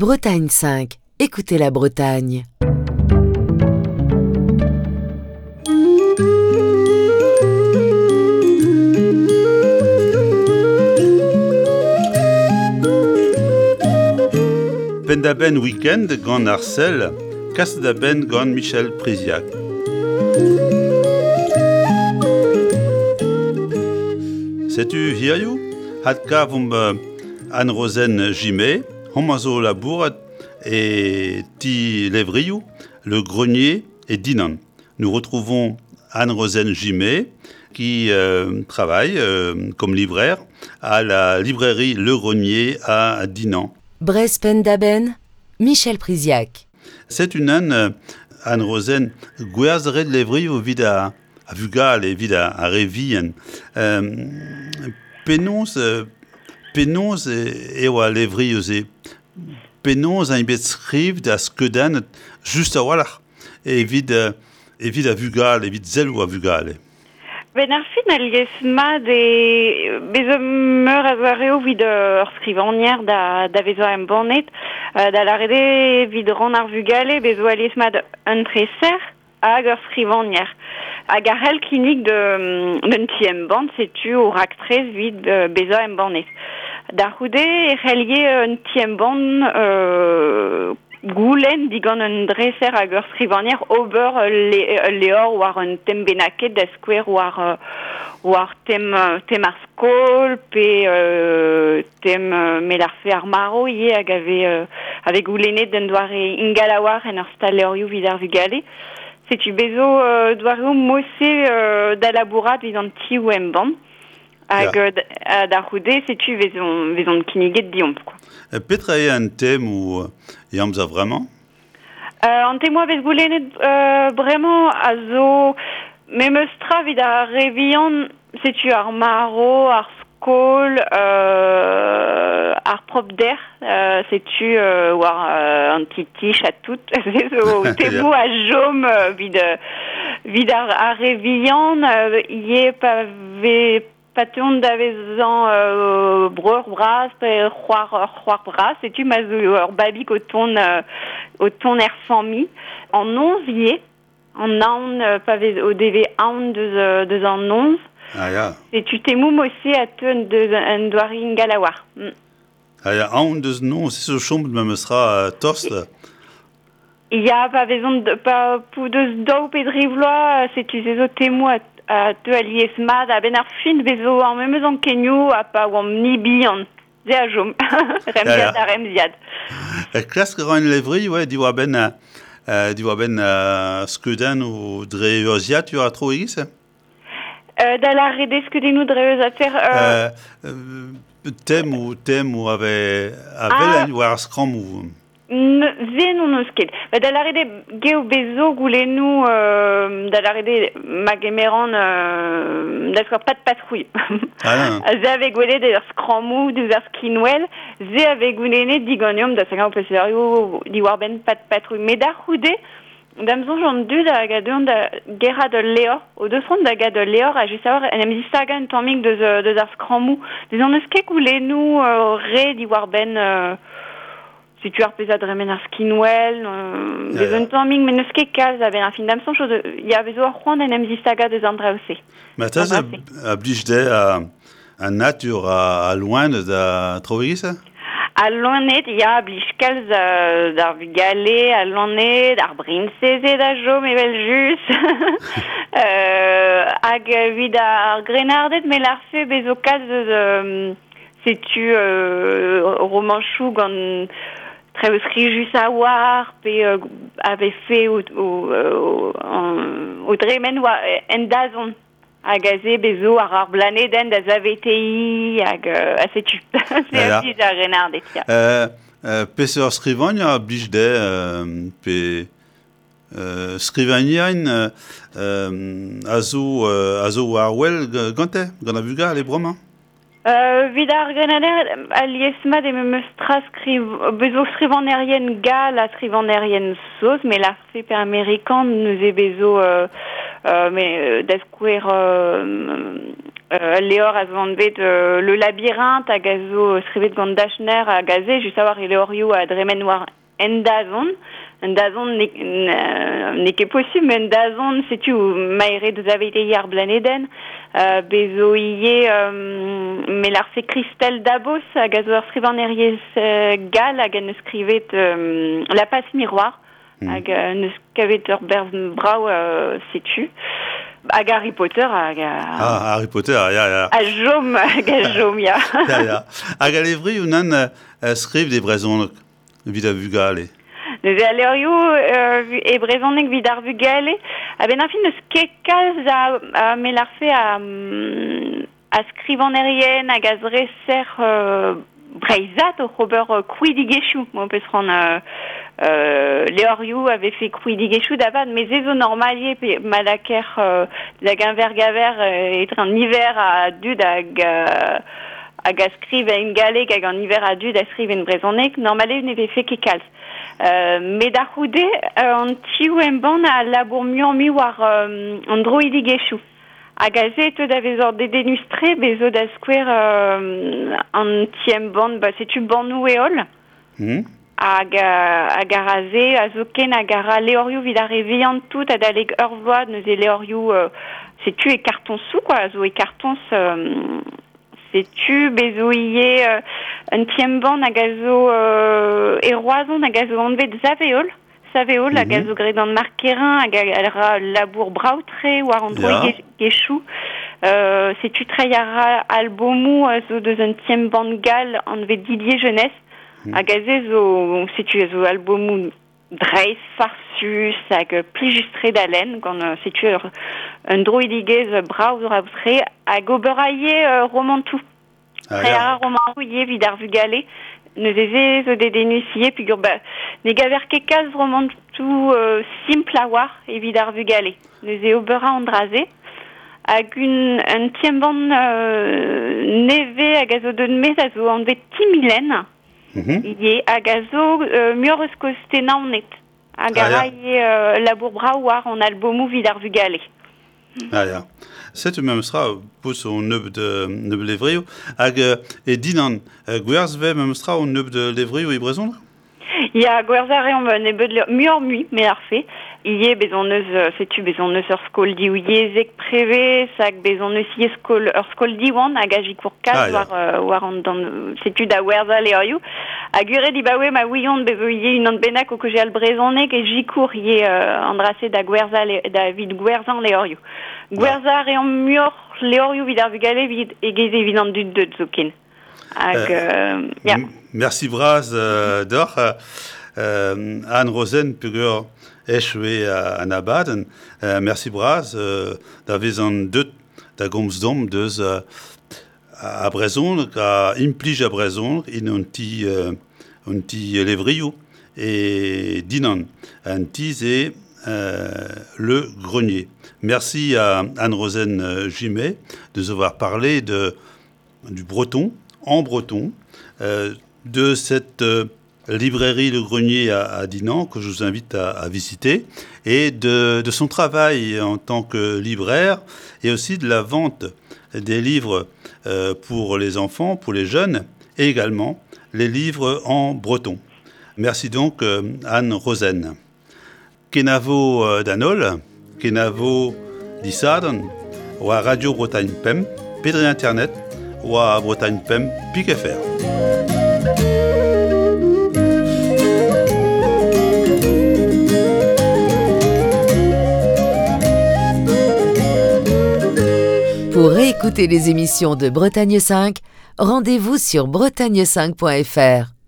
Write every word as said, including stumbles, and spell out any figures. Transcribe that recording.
Bretagne cinq, écoutez la Bretagne. Penn-da-benn week-end gant Arcel, kas da benn gant Michel Priziac. Setu hiziv, had kavomp Anne-Rozenn Gimet, homañ zo labourat e ti levrioù, Le Grenier et Dinan. Nous retrouvons Anne-Rozenn Gimet qui euh, travaille euh, comme libraire à la librairie Le Grenier à Dinan. Breizh Penn-da-Benn, Michel Priziac. C'est une Anne, Anne-Rozenn, gwerzh ret levrioù evit a, a vugale, evit a, a re vihan. Euh, penaos, euh, penaos eo al levrioù-se? Penaos int bet skrivet ha skeudennet just a-walc'h evit, euh, evit a vugale, evit selloù a vugale? Ben ar fin alies mat e bezo meur a zoareo evit ur skrivagner da, da vezo embannet, euh, da lâret eo evit rann ar vugale bezo alies mat un treser hag ur skrivagner. Hag ar c'hell kinnig d'un ti embann, setu o raktres evit bezañ embannet. Da c'houde e c'hellje un ti embann euh, goulenn digant un dreser hag ur skrivagner ober ul levr war un tem bennaket da skouer war, war tem, tem ar skol pe euh, tem melarfe ar maro ivez hag ave, euh, ave goulennet d'un doare ingal a-walc'h en ur stal levrioù evit ar vugale. Setu bezo euh, doareoù mose euh, da labourat evit an tioù embann. Hag yeah. euh, da c'houde, setu vezon, vezon kinniget deomp, quoi. Petra eo an tem ou e amzer vremañ? Euh, an temoù a vez goulennet euh, bremañ a zo memes tra evit ar re vihan, setu ar maro, ar skol, euh, ar propder, euh, setu euh, war euh, an titich ha tout, se zo temoù a chom evit, evit ar, ar re vihan, euh, ivez pa vez pa teuont da vezañ euh, breur bras pe c'hoar, c'hoar bras, setu ma zo ur babig o tont, euh, o tont er familh. An noz ivez, an aon, euh, pa vez o devez aon deus, euh, deus an noz. Ah ya. Setu temoù mose a teu deus un doare ingal a-walc'h. Mm. Ah ya, aon deus noz, se zo chomet memes tra tost. Ya, pa vezont pa pou deus daou pe dri vloaz, setu se zo temoù a a teu alies mat a-benn ar fin bezo ar memes ankenioù ha pa oamp ni bihan. Se a chom. Remziad ha remziad. Klask a ra un levri, ouais, diwar-benn euh, diwar-benn euh, skeudenn ou dre urzhiad eo ar tro e-giz? Euh, da lâret eo skeudennoù dre urzhiataer... Euh... Euh, tem ou tem ou ave, a vel ah. war ar skrammoù. Se n'on eus ket. Ba da lâret eo geo bezo goulennoù euh, da lâret eo ma gemeran euh, da skouer pat patrouille. Ah, se a vez gwelet ur skrammoù deus ar skinwel, se a vez goulennet diganeomp da sagañ o peseurioù diwar-benn pat patrouille. Met da c'houde, da'm soñj an dud hag a deuont da gerc'hat ul levr, o deus c'hoant da gad ul levr ha just a-walc'h en em zistagañ un tammig deus, deus ar skrammoù. Deus an eus ket goulennoù euh, re diwar-benn... Euh, setu ar pezh a dremen ar skinwel, euh, Ya, bezo ya. un tammig, met n'eus ket kalz a-benn ar fin da'm soñj, ya bezo ar c'hoant en em zistagañ deus an draoù-se. Ma ta An dra-se. a blij dezhe a, a natur a, a loened a traoù e-giz? A loened, ya, a blij kalz euh, d'ar vugale, a loened, ar briñsezed a chom evel just. euh, hag evit ar grennarded, me lârfe bezo kalz eus euh, setu euh, romanchoù gant traoù skrijus a-walc'h pe euh, a vefe o, o, o, o dremen oa en dazont. Hag aze bezo ar ar blanedenn da saveteiñ hag euh, a setu. Se a blij ar grennarded, ya. Euh, euh, peseurt skrivagner a blij dezhe euh, pe euh, skrivagnerien euh, euh, a zo, euh, a zo war wel gante, gant ar vugale bremañ? Euh, evit ar grennarded, alies mat e memes tra skriv, bezo skrivagnerien gall ha skrivagnerien saoz, met lârfe pe amerikan neuze bezo euh, euh, mais da skouer euh, Euh, Leor a zo anvet euh, le labyrinthe hag a zo skrivet gant Dachner hag a ze, just a war e leorioù a dremen war en dazon. En dazon n'eo ket possible, mais en dazon, setu maere deus aveit ar blaneden, euh, bezo ie euh, melarse Christelle Dabos hag a zo ur skrivanerez euh, gal hag en eus skrivet euh, La passe miroir, mm. hag en eus kavet ur berz brao euh, setu. Hag Harry Potter hag a... Ah, Harry Potter, ya, ya. A jom, hag a jom, ya. Ya, ya. Hag a levri unan uh, skriv de brezhoneg evit ar vugale. Neuze a levrioù euh, e brezhoneg evit ar vugale. A-benn ar fin eus ket kalz a, a melarfe a, a skrivanerien hag a zreser euh, breizhat o ober euh, krouidigezhioù. Mo peus ran euh, euh, levrioù avait fait krouidigezhioù da mais ze zo normalie pe malaker euh, da gaver gaver euh, etre an hiver a dud hag euh, hag a skriv en galleg hag an hiver a dud a skriv en brezhoneg, normale ne vefe ket kalz. Euh, met da c'houde, euh, an tioù embann a labour muioc'h-mui war euh, an droidigezhioù. Hag a ze da vezor dedennus-tre bezo da skouer euh, an ti embann, ba setu bannoù eol. Mm. Hag, hag a ra ze, a zo ken hag a ra levrioù evit ar re vihan tout adalek ur vloaz, neuze levrioù, euh, setu e karton sou, quoi, a zo e kartons, euh, setu bezo ie euh, un ti embann hag a zo euh, e Roazhon hag a zo anvet Saveol. Saveol hag a zo graet gant Marc Kerrain hag a ra labour brav-tre war an droidigezhioù. Euh, setu treiñ a ra albomoù a zo deus un ti embann gall anvet Didier Jeunesse. Mm. Hag a ze zo, setu a zo albomoù dreist, farsus hag plijus-tre da lenn, gant setu ur, un droidigezh brav brav-tre hag ober a ivez euh, romantoù. Ah, Treiñ a ya. ra romantoù ivez evit ar vugale. Neuze ze zo dedennus ivez peogwir ba, ne gaver ket kalz romantoù euh, simpl a war evit ar vugale. Neuze ober a an dra-se. Hag un, un ti embann euh, nevez hag a zo deut maez a zo anvet Timilen. Mm-hmm. Ivez hag a zo euh, muioc'h eus koste Naoned. Hag a Ah, ya. ra ivez euh, labour brav war an albomoù evit ar vugale. Ah, ya. Setu memes tra peus on nebeud nebeud levrioù hag euh, e Dinan euh, gwerzh vez memes tra on nebeud levrioù e brezhoneg? Ya, gwerzhañ a reomp nebeud levr muioc'h-mui, me ar fe. Ivez bez' hon eus, setu bez' hon eus ur skol divyezhek prevez, hag bez' hon eus ivez skol, ur skol Diwan hag a sikour kalz Ah, ya. war, euh, war an dan, setu da werzhañ levrioù. Hag ure dibaoe ma ouiont bezo ivez unan bennak o kaozeal brezhoneg e sikour ivez euh, an dra-se da gwerzhañ le, da evit gwerzhañ levrioù. Gwerzhañ a reomp muioc'h levrioù evit ar vugale evit egez evit an dud deut zoken. Hag, Euh, euh, ya. Merci bras euh, deoc'h, euh, Anne Rosen peogwir echu eo an abadenn. Euh, merci bras euh, da vezañ deut da gomz deomp deus euh, a brezhoneg, a implij a brezhoneg en un ti, euh, un ti levrioù e Dinan. Un ti ze euh, Le Grenier. Merci à Anne Rosen Gimet de nous avoir parlé de, du breton, en breton, euh, de cette euh, librairie Le Grenier à, à Dinan, que je vous invite à, à visiter, et de, de son travail en tant que libraire, et aussi de la vente des livres euh, pour les enfants, pour les jeunes, et également les livres en breton. Merci donc euh, Anne Rosen. Kenavo euh, d'an holl, kenavo disadorn, war Radio Bretagne Pemp, pe dre internet, war Bretagne Pemp pik F R. Pour réécouter les émissions de Bretagne cinq, rendez-vous sur bretagne cinq point F R.